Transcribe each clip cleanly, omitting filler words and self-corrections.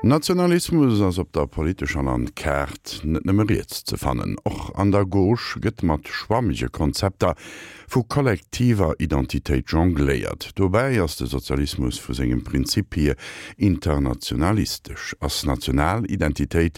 Nationalismus ass op der politescher Landkaart net nëmme riets ze fannen. Och an der Gauche gëtt mat schwammege Konzepter vu kollektiver Identitéit jongléiert. Dobäi ass de Sozialismus vu sengem Prinzip hier internationalistesch. Ass national Identitéit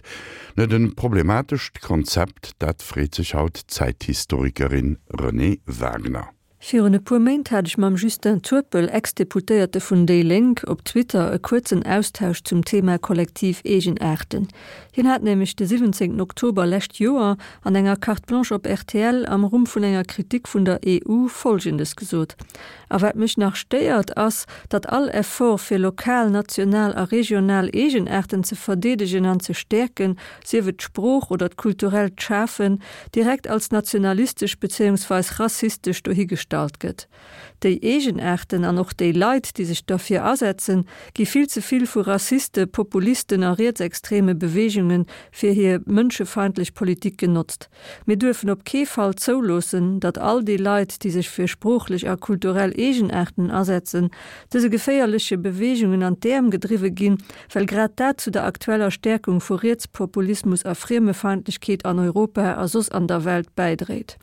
net e problematescht Konzept? Dat freet sech haut d'Zäithistorikerin Renée Wagner. Virun e puer Méint hat ech mam Justin Turpel, Ex-Deputéierte vun déi Lénk, op Twitter e kuerzen Austausch zum Thema kollektiv Eegenaarten. Hien hat nämlech de 17 Oktober lescht Joer an enger Carte Blanche op rtl am Rumm vun enger Kritik vun der EU Folgendes gesot, A wat mech nach stéiert, ass, datt all Effort fir lokal, national a regional Eegenaarten ze verdeedegen an ze stäerken, sief et d'Sprooch oder d'kulturellt Schafen, direkt als nationalistesch bezéiungsweis rassistesch dohigestallt gëtt. Déi Eegenaarten an och déi Leit, déi sech derfir asetzen, gi vill ze vill vu Rassiste, Populisten a rietsextreme Beweegunge fir hir mënschefeindlech Politik genotzt. Mir duerfen op kee Fall zouloossen, datt all déi Leit, déi sech fir sproochlech a kulturell Eegenaarten asetzen, dëse geféierleche Beweegungen an d'Äerm gedriwwe ginn, well grad dat zu der aktueller Stäerkung vu Rietspopulismus a Friemefeindlechkeet an Europa a soss an der Welt bäidréit.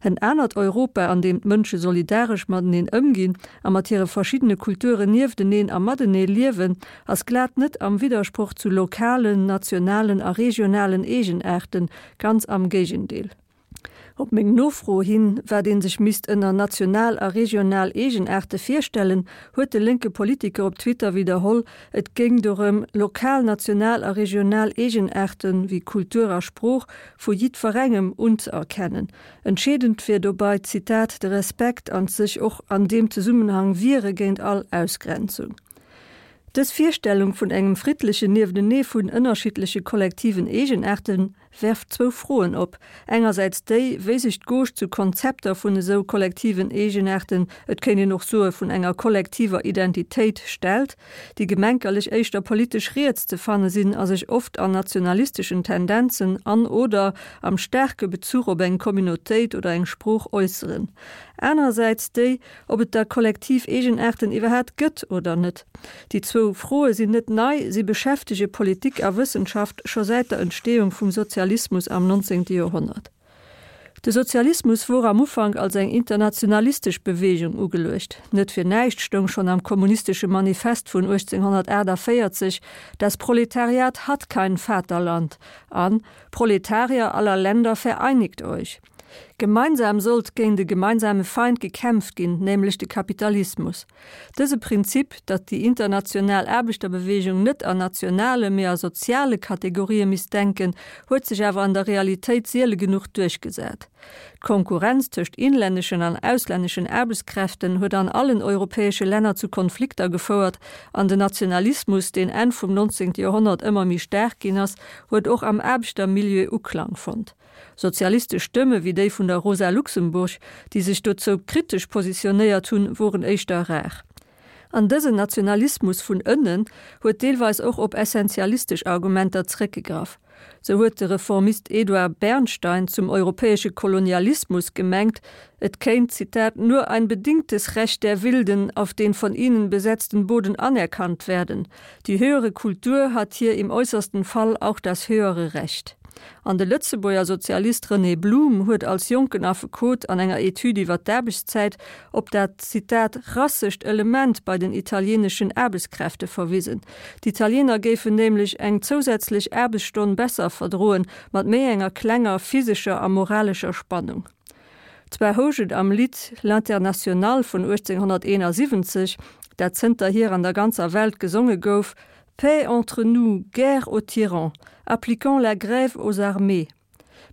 En anert Europa, an deem d'Mënsche solidaresch mateneen ëmginn a mat hire verschiddene Kulturen niefteneen a matenee liewen, ass glat net am Widdersproch zu lokalen, nationalen a regionalen Eegenaarten, ganz am Géigendeel. Op meng Nofro hin, wat ee sech misst ënner national a regional Eegenaarte virstellen, huet de lénke Politiker op Twitter widderholl, et géing dorëm, lokal, national a regional Eegenaarte wéi Kultur a Sprooch vu jiddwerengem unzëerkennen. Entscheedend wier dobei, Zitat, de Respekt an d'sech och an deem Zesummenhang wiere géint all Ausgrenzung. Dës Virstellung vun engem friddlechen Nieftenee vun ënnerschiddleche kollektiven Eegenaarte werft zwou Froen op, engersäits déi, wéi sech d'Gauche zu Konzepter vun esou kollektiven Eegenaarten, et kéint een och soe vun enger kollektiver Identitéit, stellt, déi gemenkerlech éischter politesch riets ze fanne sinn a sech oft an nationalisteschen Tendenzen an oder am staarke Bezuch op eng Communautéit oder eng Sprooch äusseren, anerersäits déi, ob et da kollektiv Eegenaarten iwwerhaat gëtt oder net. Déi zwou Froe sinn net nei, si beschäftege Politik a Wëssenschaft scho säit der Entstehung vum Sozialismus am 19. Joerhonnert. De Sozialismus wor am Ufank als eng internationalistesch Beweegung ugeluecht. Net fir näischt stoung schonn am Kommunistesche Manifest vun 1848, Das Proletariat hat kein Vaterland an Proletarier aller Länder vereinigt euch! Gemeinsam sollt géint e gemeinsame Feind gekämpft ginn, nämlech de Kapitalismus. Dëse Prinzip, datt déi international Aarbechterbewegung net an nationale, mee a soziale Kategorië misst denken, huet sech awer an der Realitéit siele genuch duerchgesat. D'Konkurrenz tëscht inlänneschen an auslänneschen Aarbechtskräften huet an allen europäesche Länner zu Konflikter gefouert an den Nationalismus, deen Enn vum 19. Joerhonnert ëmmer méi staark ginn ass, huet och am Aarbechtermilieu Uklang fonnt. Sozialistesch Stëmme wéi déi vun der Rosa Luxemburg, déi sech dozou kritesch positionéiert hunn, woren éischter rar. An dësen Nationalismus vun ënnen huet deelweis och op essentialistesch Argumenter zeréckgegraff. Sou huet de Reformist Eduard Bernstein zum europäesche Kolonialismus gemengt, et kéint, Zitat, nur ein bedingtes Recht der Wilden auf den von ihnen besetzten Boden anerkannt werden. Die höhere Kultur hat hier im äußersten Fall auch das höhere Recht. An de Lëtzebuerger Sozialist René Blum huet als jonken Affekot an enger Etüd iwwer d'Aarbechtszäit op dat, Zitat, rassescht Element bei den italieeneschen Aarbechtskräfte verwisen. D'Italiener géifen nämlech eng zousätzlech Aarbechtsstonn besser verdroen, mat méi enger klenger physescher a moralescher Spannung. Zwar housch et am Lidd L'Internationale vun 1871, dat zënterhier an der ganzer Welt gesonge gouf, Paix entre nous, guerre aux tyrans, appliquons la grève aux armées.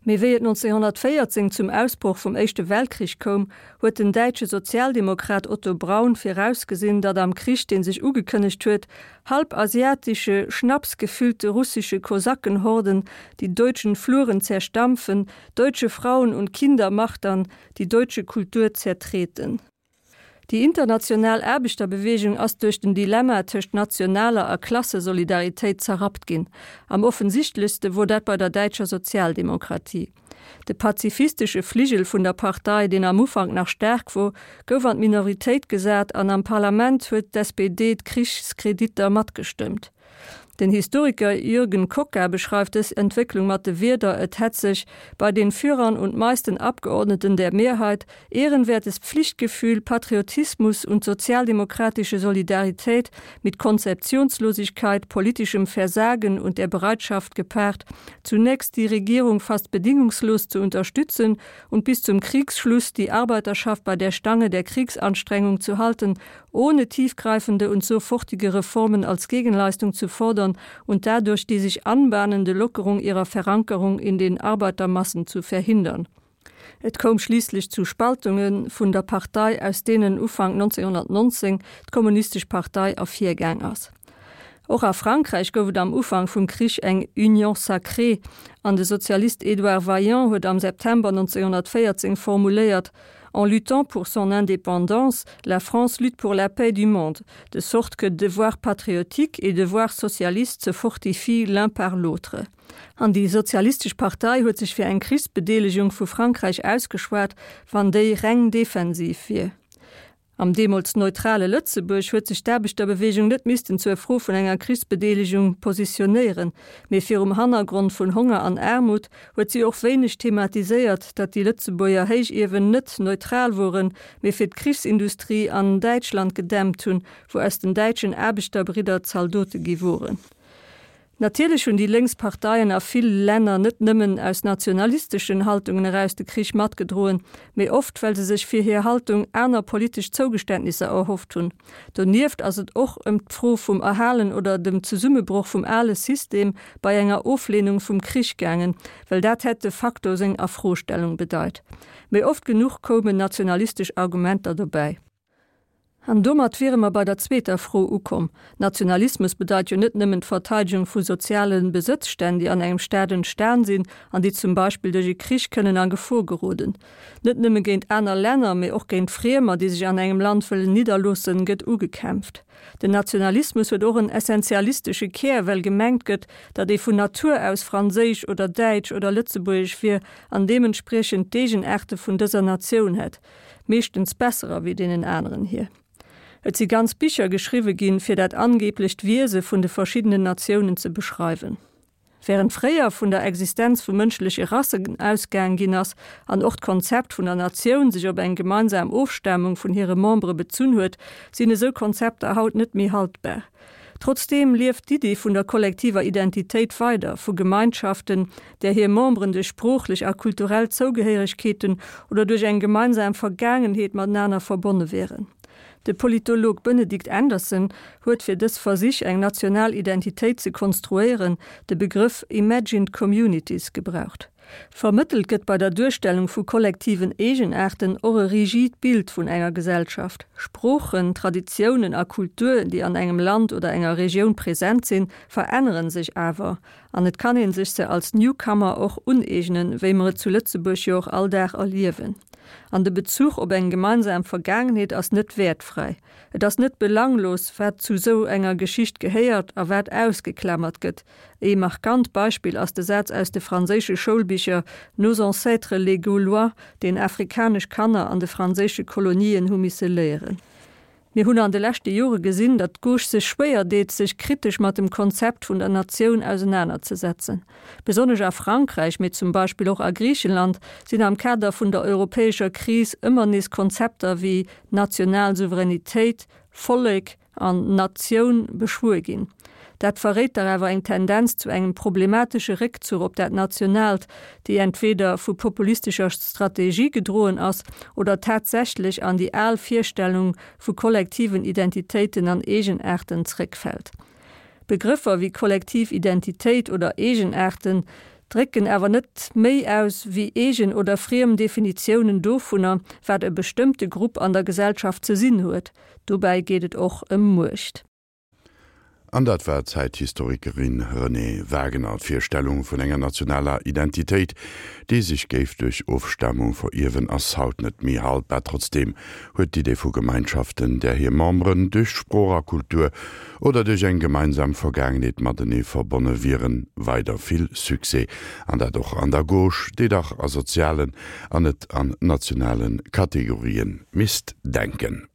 Mee wéi et 1914 zum Ausbroch vum Éischte Weltkrich koum, huet den däitsche Sozialdemokrat Otto Braun virausgesinn, datt am Krich, dee sech ugekënnegt huet, halbasiatische, schnapsgefüllte russische Kosakenhorden die deutschen Fluren zerstampfen, deutsche Frauen und Kinder martern, die deutsche Kultur zertreten. Déi international Aarbechterbewegung ass duerch den Dilemma tëscht nationaler a Klassesolidaritéit zerrappt ginn. Am offensichtlechste wor dat bei der däitscher Sozialdemokratie. De pazifistesche Fligel vun der Partei, deen am Ufank nach staark wor, gouf an d'Minoritéit gesat an am Parlament huet d'SPD d'Krichskreditter matgestëmmt. Den Historiker Jürgen Kocka beschreift dës Entwécklung mat de Wierder, Et hätt sech bei den Führern und meisten Abgeordneten der Mehrheit ehrenwertes Pflichtgefühl, Patriotismus und sozialdemokratische Solidarität mit Konzeptionslosigkeit, politischem Versagen und der Bereitschaft gepaart, zunächst die Regierung fast bedingungslos zu unterstützen und bis zum Kriegsschluss die Arbeiterschaft bei der Stange der Kriegsanstrengung zu halten, ohne tiefgreifende und sofortige Reformen als Gegenleistung zu fordern und dadurch die sich anbahnende Lockerung ihrer Verankerung in den Arbeitermassen zu verhindern. Et koum schliisslech zu Spaltunge vun der Partei, aus deenen Ufank 1919 d'Kommunistesch Partei ervirgaang ass. Och a Frankräich gouf et am Ufank vum Krich eng Union sacrée an de Sozialist Édouard Vaillant huet am September 1914 formuléiert, En luttant pour son indépendance, la France lutte pour la paix du monde, de sorte que devoir patriotique et devoir socialiste se fortifient l'un par l'autre. An déi Sozialistesch Partei huet sech fir eng Krichsbedeelegung vu Frankräich ausgeschwat, wann déi reng defensiv wier. Am deemools neutrale Lëtzebuerg huet sech d'Aarbechterbewegung net missten zur Fro vun enger Krichsbedeelegung positionéieren, mee virum Hannergrond vun Honger an Aarmut huet si och wéineg thematiséiert, datt déi Lëtzebuerger Héichiewen net neutral woren, mee fir d'Krichsindustrie an Däitschland gedämpt hunn, wou aus den däitschen Aarbechter-Bridder Zaldote gi woren. Natierlech hunn déi lénks Parteien a ville Länner net nëmmen aus nationalisteschen Haltungen eraus de Krich matgedroen, mee oft well se sech fir hir Haltung aner politesch Zougeständnisser erhofft hunn. Donieft ass et och ëm d'Fro vum Erhalen oder dem Zesummebroch vum ale System bei enger Ofleenung vum Krich gaangen, well dat hätt de facto seng Afrostellung bedeit. Mee oft genuch koumen nationalistesch Argumenter dobäi. An domat wiere mer bei der zweeter Fro ukomm. Nationalismus bedeit jo net nëmmen d'Verteidegung vu soziale Besëtzstänn, déi an engem Staat entstan sinn an déi zum Beispill duerch e Krich kënnen a Gefor geroden. Net nëmme géint aner Länner, mee och géint Friemer, déi sech an engem Land wëllen nidderloossen, gëtt ugekämpft. Den Nationalismus huet och en essentialistesche Kär, well gemengt gëtt, datt ee vun Natur aus franséisch oder däitsch oder lëtzebuergesch wier an deementspriechend d'Eegenaarte vun dëser Natioun hätt. Meeschtens besserer wéi deenen aneren hir. Et si ganz Bicher geschriwwe ginn, fir dat angeblecht Wiese vun de verschiddenen Natiounen ze beschreiwen. Während fréier vun der Existenz vu mënschleche Rassen ausgaang ginn ass an och d'Konzept vun der Natioun sech op eng gemeinsam Ofstamung vun hire Membere bezunn huet, sinn esou Konzepter haut net méi haltbar. Trotzdeem lieft d'Iddi vun der kollektiver Identitéit weider, vu Gemeinschaften, där hir Memberen duerch sproochlech a kulturell Zougehéieregkeeten oder duerch eng gemeinsam Vergaangenheet matenaner verbonne wieren. De Politolog Benedict Anderson huet fir dës Versich, eng national Identitéit ze konstruéieren, de Begrëff imagined communities gebraucht. Vermëttelt gëtt bei der Duerstellung vu kollektiven Eegenaarten och e rigid Bild vun enger Gesellschaft. Sproochen, Traditiounen a Kultur, déi an engem Land oder enger Regioun present sinn, verännere sech awer an et kann ee sech se als Newcomer och uneegnen, wéi mer et zu Lëtzebuerg jo och all Dag erliewen. An de Bezuch op eng gemeinsam Vergaangenheet ass net wäertfräi. Et ass net belanglos, wat zu sou enger Geschicht gehéiert a wat ausgeklamert gëtt. Ee markant Beispill ass de Saz aus de franséische Schoulbicher Nos ancêtres les Gaulois, deen afrikanesch Kanner an de franséische Kolonien hu misse léieren. Mir hunn an de leschte Jore gesinn, datt d'Gauche sech schwéier deet, sech kritesch mat dem Konzept vun der Natioun ausenanerzesetzen. Besonnesch a Frankräich, mee zum Beispill och a Griichenland, sinn am Kader vun der europäescher Kris ëmmer nees Konzepter wéi national Souveränitéit, Vollek an Natioun beschwuer ginn. Dat verréit dach awer eng Tendenz zu engem problematesche Réckzuch op dat Nationaalt, déi entweder vu populistescher Strategie gedroen ass oder tatsächlech an déi al Virstellung vu kollektiven Identitéiten an Eegenaarten zréckfält. Begrëffer wéi kollektiv Identitéit oder Eegenaarten drécken awer net méi aus wéi eegen oder friem Definitiounen dovunner, wat e bestëmmte Grupp an der Gesellschaft ze sinn huet. Dobäi geet et och ëm Muecht. An dat war d'Zäithistorikerin Renée Wagener. D'Virstellung vun enger nationaler Identitéit, déi sech géif duerch Ofstamung verierwen, ass haut net méi haltbar. Trotzdeem huet d'Idee vu Gemeinschaften, där hir Memberen duerch Sprooch a Kultur oder duerch eng gemeinsam Vergaangenheet matenee verbonne wieren, weider vill Succès, an dat och an der Gauche, déi dach a sozialen an net an nationale Kategorien misst denken.